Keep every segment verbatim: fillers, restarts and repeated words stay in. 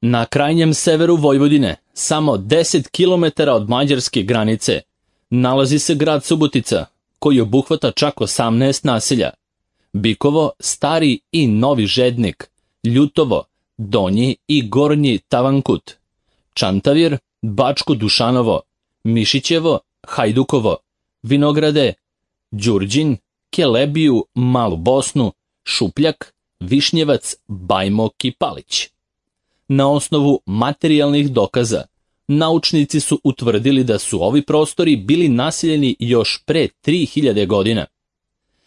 Na krajnjem severu Vojvodine, samo deset kilometara od mađarske granice, nalazi se grad Subotica, koji obuhvata čak osamnaest naselja. Bikovo, Stari i Novi Žednik, Ljutovo, Donji i Gornji Tavankut, Čantavir, Bačko Dušanovo, Mišićevo, Hajdukovo, Vinograde, Đurđin, Kelebiju, Malu Bosnu, Šupljak, Višnjevac, Bajmok i Palić. Na osnovu materijalnih dokaza, naučnici su utvrdili da su ovi prostori bili naseljeni još pre tri hiljade godina.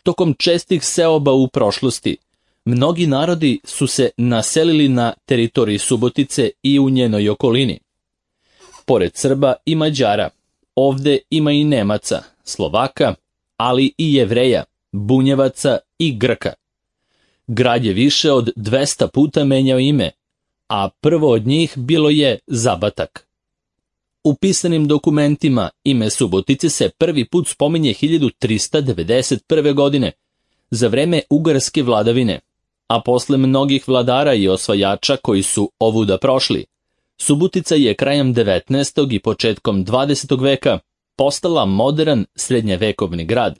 Tokom čestih seoba u prošlosti, mnogi narodi su se naselili na teritoriji Subotice i u njenoj okolini. Pored Srba i Mađara, ovde ima i Nemaca, Slovaka, ali i Jevreja, Bunjevaca i Grka. Grad je više od dvesta puta menjao ime, a prvo od njih bilo je Zabatak. U pisanim dokumentima ime Subotice se prvi put spominje hiljadu trista devedeset prve. godine, za vreme ugarske vladavine, a posle mnogih vladara i osvajača koji su ovuda prošli, Subotica je krajem devetnaestog i početkom dvadesetog veka postala modern srednjevekovni grad.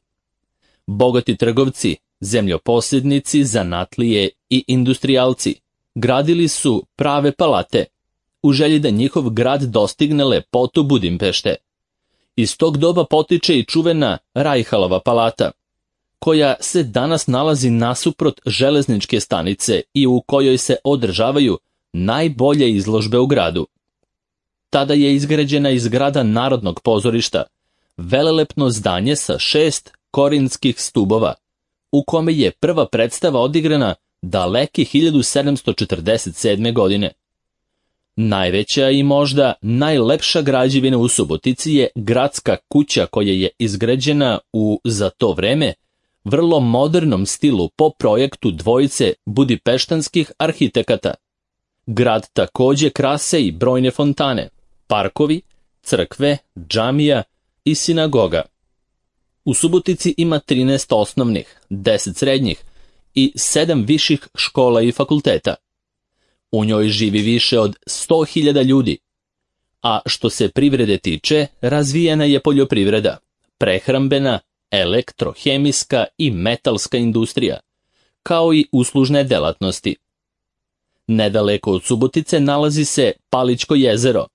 Bogati trgovci, zemljoposjednici, zanatlije i industrijalci gradili su prave palate, u želji da njihov grad dostigne lepotu Budimpešte. Iz tog doba potiče i čuvena Rajhalova palata, koja se danas nalazi nasuprot železničke stanice i u kojoj se održavaju najbolje izložbe u gradu. Tada je izgrađena iz zgrada Narodnog pozorišta, velelepno zdanje sa šest korinskih stubova, u kome je prva predstava odigrana daleke hiljadu sedamsto četrdeset sedme. godine. Najveća i možda najlepša građevina u Subotici je gradska kuća koja je izgrađena u, za to vreme, vrlo modernom stilu po projektu dvojice budipeštanskih arhitekata. Grad takođe krase i brojne fontane, parkovi, crkve, džamija i sinagoga. U Subotici ima trinaest osnovnih, deset srednjih i sedam viših škola i fakulteta. U njoj živi više od sto hiljada ljudi, a što se privrede tiče, razvijena je poljoprivreda, prehrambena, elektrohemijska i metalska industrija, kao i uslužne delatnosti. Nedaleko od Subotice nalazi se Palićko jezero,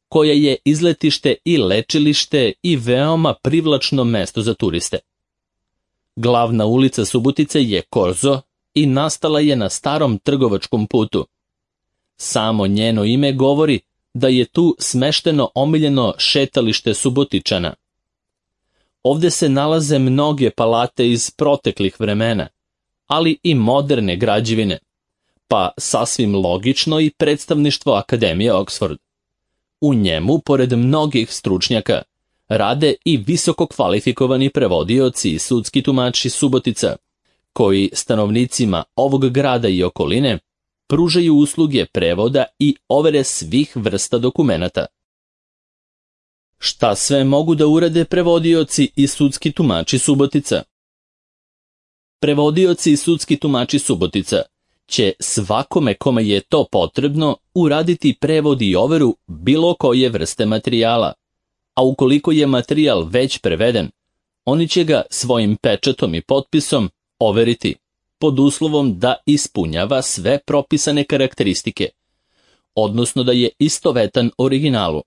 koje je izletište i lečilište i veoma privlačno mesto za turiste. Glavna ulica Subotice je Korzo i nastala je na starom trgovačkom putu. Samo njeno ime govori da je tu smešteno omiljeno šetalište Subotičana. Ovde se nalaze mnoge palate iz proteklih vremena, ali i moderne građevine, pa sasvim logično i predstavništvo Akademije Oxford. U njemu, pored mnogih stručnjaka, rade i visoko kvalifikovani prevodioci i sudski tumači Subotica, koji stanovnicima ovog grada i okoline pružaju usluge prevoda i overe svih vrsta dokumenata. Šta sve mogu da urade prevodioci i sudski tumači Subotica? Prevodioci i sudski tumači Subotica će svakome kome je to potrebno uraditi prevod i overu bilo koje vrste materijala, a ukoliko je materijal već preveden, oni će ga svojim pečatom i potpisom overiti, pod uslovom da ispunjava sve propisane karakteristike, odnosno da je istovetan originalu.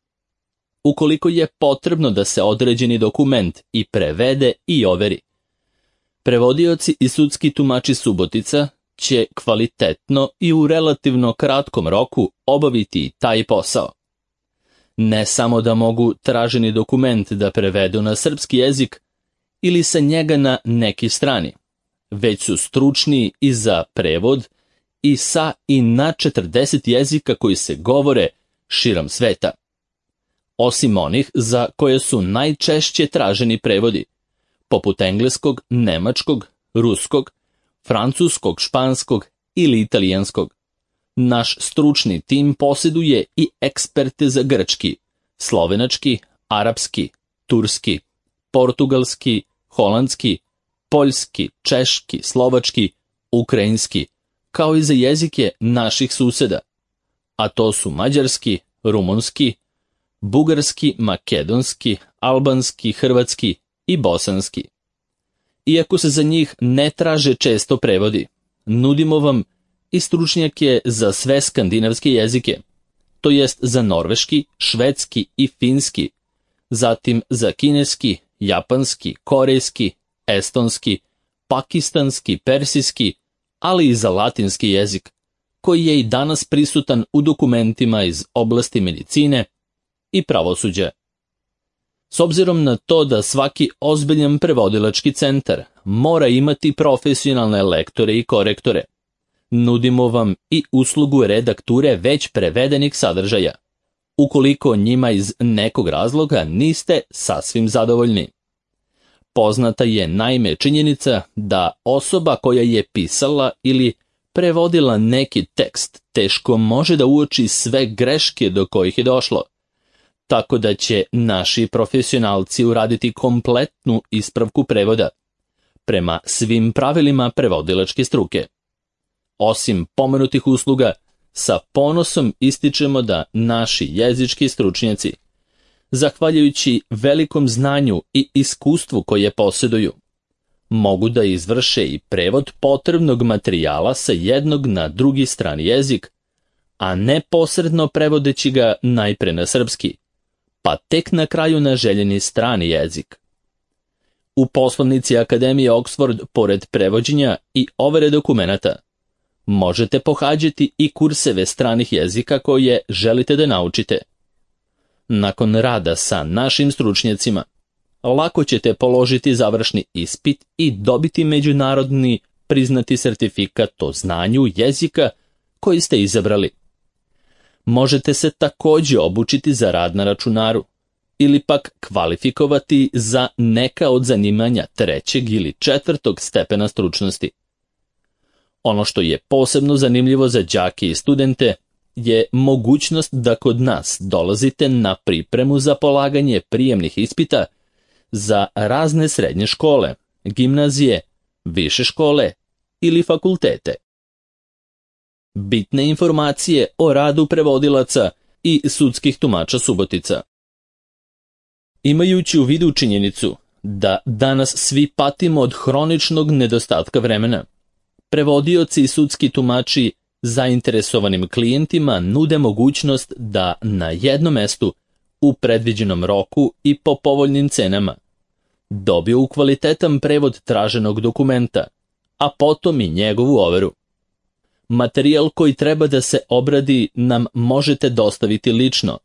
Ukoliko je potrebno da se određeni dokument i prevede i overi, prevodioci i sudski tumači Subotica će kvalitetno i u relativno kratkom roku obaviti taj posao. Ne samo da mogu traženi dokument da prevedu na srpski jezik ili sa njega na neki strani, već su stručni i za prevod i sa i na četrdeset jezika koji se govore širom sveta. Osim onih za koje su najčešće traženi prevodi, poput engleskog, nemačkog, ruskog, francuskog, španskog ili italijanskog. Naš stručni tim posjeduje i eksperte za grčki, slovenački, arapski, turski, portugalski, holandski, poljski, češki, slovački, ukrajinski, kao i za jezike naših suseda. a to su mađarski, rumunski, bugarski, makedonski, albanski, hrvatski i bosanski. Iako se za njih ne traže često prevodi, nudimo vam i stručnjake za sve skandinavske jezike, to jest za norveški, švedski i finski, zatim za kineski, japanski, korejski, estonski, pakistanski, persijski, ali i za latinski jezik, koji je i danas prisutan u dokumentima iz oblasti medicine i pravosuđa. S obzirom na to da svaki ozbiljan prevodilački centar mora imati profesionalne lektore i korektore, nudimo vam i uslugu redakture već prevedenih sadržaja, ukoliko njima iz nekog razloga niste sasvim zadovoljni. Poznata je naime činjenica da osoba koja je pisala ili prevodila neki tekst teško može da uoči sve greške do kojih je došlo, tako da će naši profesionalci uraditi kompletnu ispravku prevoda, prema svim pravilima prevodilačke struke. Osim pomenutih usluga, sa ponosom ističemo da naši jezički stručnjaci, zahvaljujući velikom znanju i iskustvu koje posjeduju, mogu da izvrše i prevod potrebnog materijala sa jednog na drugi strani jezik, a ne posredno prevodeći ga najpre na srpski, pa tek na kraju na željeni strani jezik. U poslovnici Akademije Oxford, pored prevođenja i overe dokumenata, možete pohađati i kurseve stranih jezika koje želite da naučite. Nakon rada sa našim stručnjacima, lako ćete položiti završni ispit i dobiti međunarodni priznati sertifikat o znanju jezika koji ste izabrali. Možete se također obučiti za rad na računaru ili pak kvalifikovati za neka od zanimanja trećeg ili četvrtog stepena stručnosti. Ono što je posebno zanimljivo za đake i studente je mogućnost da kod nas dolazite na pripremu za polaganje prijemnih ispita za razne srednje škole, gimnazije, više škole ili fakultete. Bitne informacije o radu prevodilaca i sudskih tumača Subotica. Imajući u vidu činjenicu da danas svi patimo od hroničnog nedostatka vremena, prevodioci i sudski tumači zainteresovanim klijentima nude mogućnost da na jednom mestu, u predviđenom roku i po povoljnim cenama, dobiju kvalitetan prevod traženog dokumenta, a potom i njegovu overu. Materijal koji treba da se obradi nam možete dostaviti lično,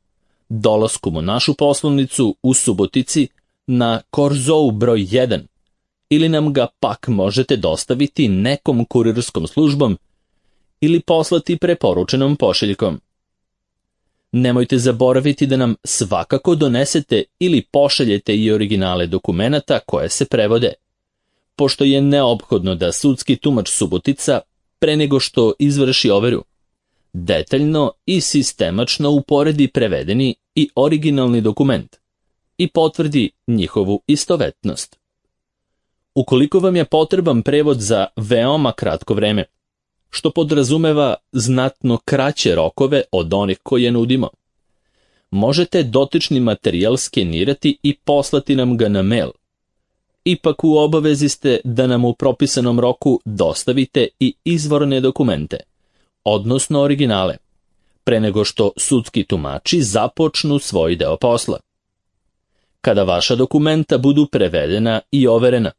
dolaskom u našu poslovnicu u Subotici na Korzou broj jedan, ili nam ga pak možete dostaviti nekom kurirskom službom ili poslati preporučenom pošiljkom. Nemojte zaboraviti da nam svakako donesete ili pošaljete i originale dokumenata koje se prevode, pošto je neophodno da sudski tumač Subotica, pre nego što izvrši overu, detaljno i sistemačno uporedi prevedeni i originalni dokument i potvrdi njihovu istovetnost. Ukoliko vam je potreban prevod za veoma kratko vreme, što podrazumeva znatno kraće rokove od onih koje nudimo, možete dotični materijal skenirati i poslati nam ga na mail. Ipak u obavezi ste da nam u propisanom roku dostavite i izvorne dokumente, odnosno originale, pre nego što sudski tumači započnu svoj deo posla. Kada vaša dokumenta budu prevedena i overena,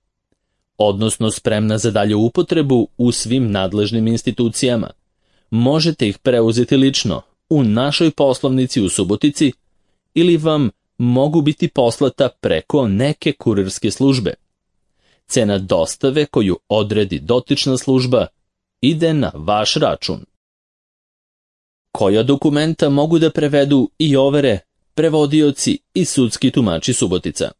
odnosno spremna za dalju upotrebu u svim nadležnim institucijama, možete ih preuzeti lično u našoj poslovnici u Subotici ili vam mogu biti poslata preko neke kurirske službe. Cena dostave koju odredi dotična služba ide na vaš račun. Koja dokumenta mogu da prevedu i overe prevodioci i sudski tumači Subotica?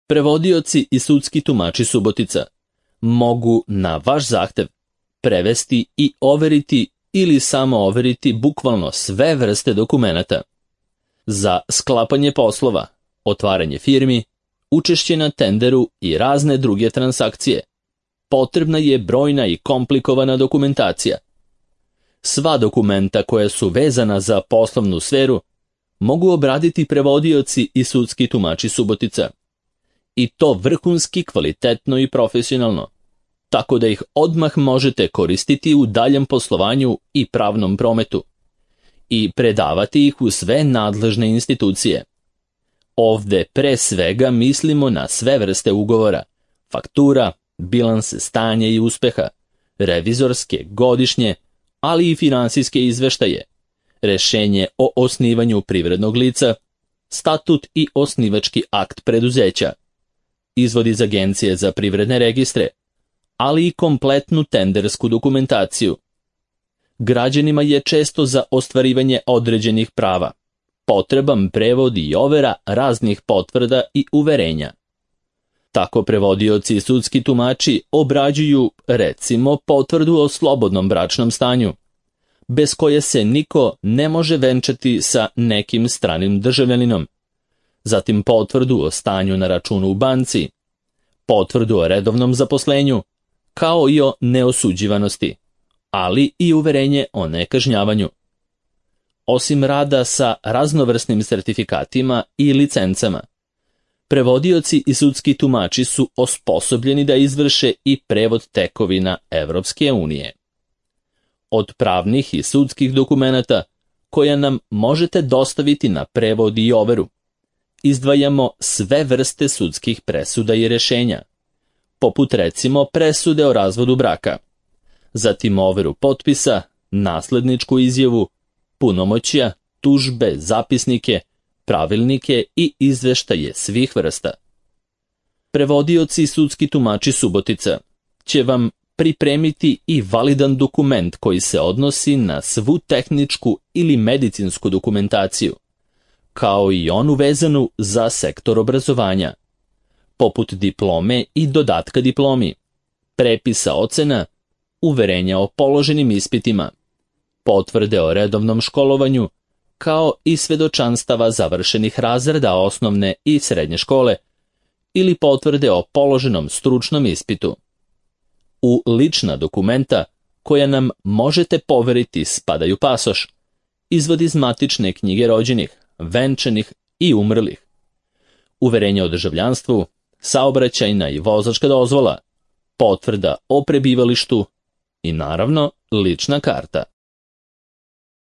Prevodioci i sudski tumači Subotica mogu na vaš zahtev prevesti i overiti ili samo overiti bukvalno sve vrste dokumenata. Za sklapanje poslova, otvaranje firmi, učešće na tenderu i razne druge transakcije potrebna je brojna i komplikovana dokumentacija. Sva dokumenta koja su vezana za poslovnu sferu mogu obraditi prevodioci i sudski tumači Subotica. I to vrhunski, kvalitetno i profesionalno, tako da ih odmah možete koristiti u daljem poslovanju i pravnom prometu i predavati ih u sve nadležne institucije. Ovde pre svega mislimo na sve vrste ugovora, faktura, bilanse stanja i uspeha, revizorske, godišnje, ali i finansijske izveštaje, rešenje o osnivanju privrednog lica, statut i osnivački akt preduzeća, izvod iz Agencije za privredne registre, ali i kompletnu tendersku dokumentaciju. Građanima je često za ostvarivanje određenih prava potreban prevod i overa raznih potvrda i uverenja. Tako prevodioci i sudski tumači obrađuju, recimo, potvrdu o slobodnom bračnom stanju, bez koje se niko ne može venčati sa nekim stranim državljaninom, zatim potvrdu o stanju na računu u banci, potvrdu o redovnom zaposlenju, kao i o neosuđivanosti, ali i uverenje o nekažnjavanju. Osim rada sa raznovrsnim sertifikatima i licencama, prevodioci i sudski tumači su osposobljeni da izvrše i prevod tekovina Evropske unije. Od pravnih i sudskih dokumenata koja nam možete dostaviti na prevod i overu, izdvajamo sve vrste sudskih presuda i rešenja, poput recimo presude o razvodu braka, zatim overu potpisa, nasledničku izjavu, punomoćja, tužbe, zapisnike, pravilnike i izveštaje svih vrsta. Prevodioci i sudski tumači Subotica će vam pripremiti i validan dokument koji se odnosi na svu tehničku ili medicinsku dokumentaciju, kao i onu vezanu za sektor obrazovanja, poput diplome i dodatka diplomi, prepisa ocena, uverenja o položenim ispitima, potvrde o redovnom školovanju, kao i svedočanstava završenih razreda osnovne i srednje škole ili potvrde o položenom stručnom ispitu. U lična dokumenta koja nam možete poveriti spadaju pasoš, izvod iz matične knjige rođenih, venčanih i umrlih, uverenje o državljanstvu, saobraćajna i vozačka dozvola, potvrda o prebivalištu i naravno lična karta.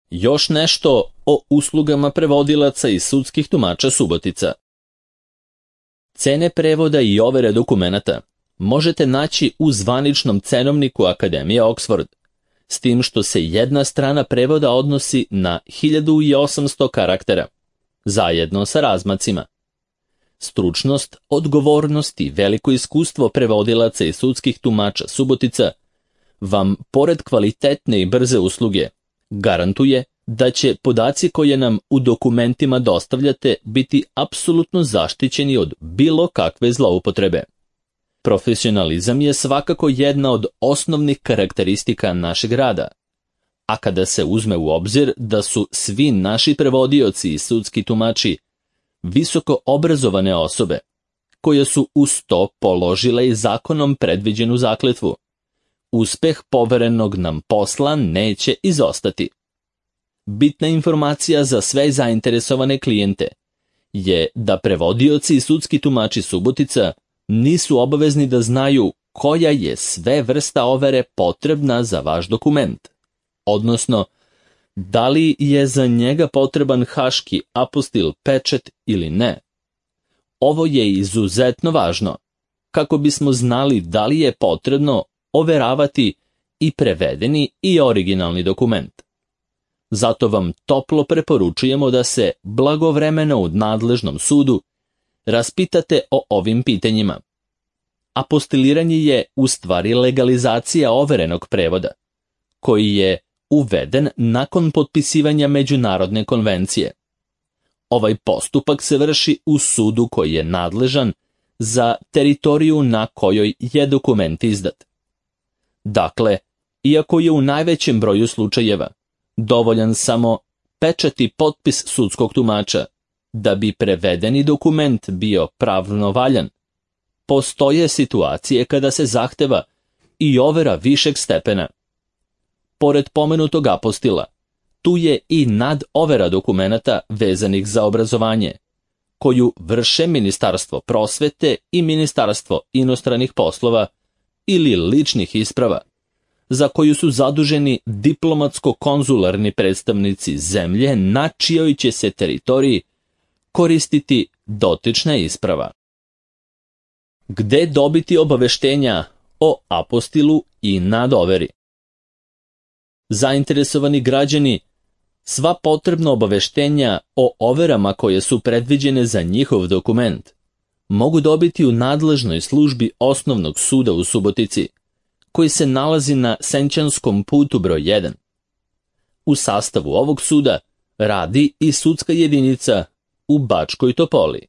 Još nešto o uslugama prevodilaca i sudskih tumača Subotica. Cene prevoda i overe dokumenata možete naći u zvaničnom cenovniku Akademije Oxford, s tim što se jedna strana prevoda odnosi na hiljadu osamsto karaktera, zajedno sa razmacima. Stručnost, odgovornost i veliko iskustvo prevodilaca i sudskih tumača Subotica vam, pored kvalitetne i brze usluge, garantuje da će podaci koje nam u dokumentima dostavljate biti apsolutno zaštićeni od bilo kakve zloupotrebe. Profesionalizam je svakako jedna od osnovnih karakteristika našeg rada, a kada se uzme u obzir da su svi naši prevodioci i sudski tumači visoko obrazovane osobe, koje su uz to položile i zakonom predviđenu zakletvu, uspeh poverenog nam posla neće izostati. Bitna informacija za sve zainteresovane klijente je da prevodioci i sudski tumači Subotica nisu obavezni da znaju koja je sve vrsta overe potrebna za vaš dokument, odnosno da li je za njega potreban haški apostil pečat ili ne. Ovo je izuzetno važno, kako bismo znali da li je potrebno overavati i prevedeni i originalni dokument. Zato vam toplo preporučujemo da se blagovremeno u nadležnom sudu raspitate o ovim pitanjima. Apostiliranje je u stvari legalizacija overenog prevoda, koji je uveden nakon potpisivanja međunarodne konvencije. Ovaj postupak se vrši u sudu koji je nadležan za teritoriju na kojoj je dokument izdat. Dakle, iako je u najvećem broju slučajeva dovoljan samo pečat i potpis sudskog tumača da bi prevedeni dokument bio pravno valjan, postoje situacije kada se zahteva i overa višeg stepena. Pored pomenutog apostila, tu je i nadovera dokumenata vezanih za obrazovanje, koju vrše Ministarstvo prosvete i Ministarstvo inostranih poslova ili ličnih isprava, za koju su zaduženi diplomatsko-konzularni predstavnici zemlje na čijoj će se teritoriji koristiti dotična isprava. Gde dobiti obaveštenja o apostilu i nadoveri? Zainteresovani građani sva potrebna obaveštenja o overama koje su predviđene za njihov dokument mogu dobiti u nadležnoj službi Osnovnog suda u Subotici, koji se nalazi na Senčanskom putu broj jedan. U sastavu ovog suda radi i sudska jedinica u Bačkoj Topoli.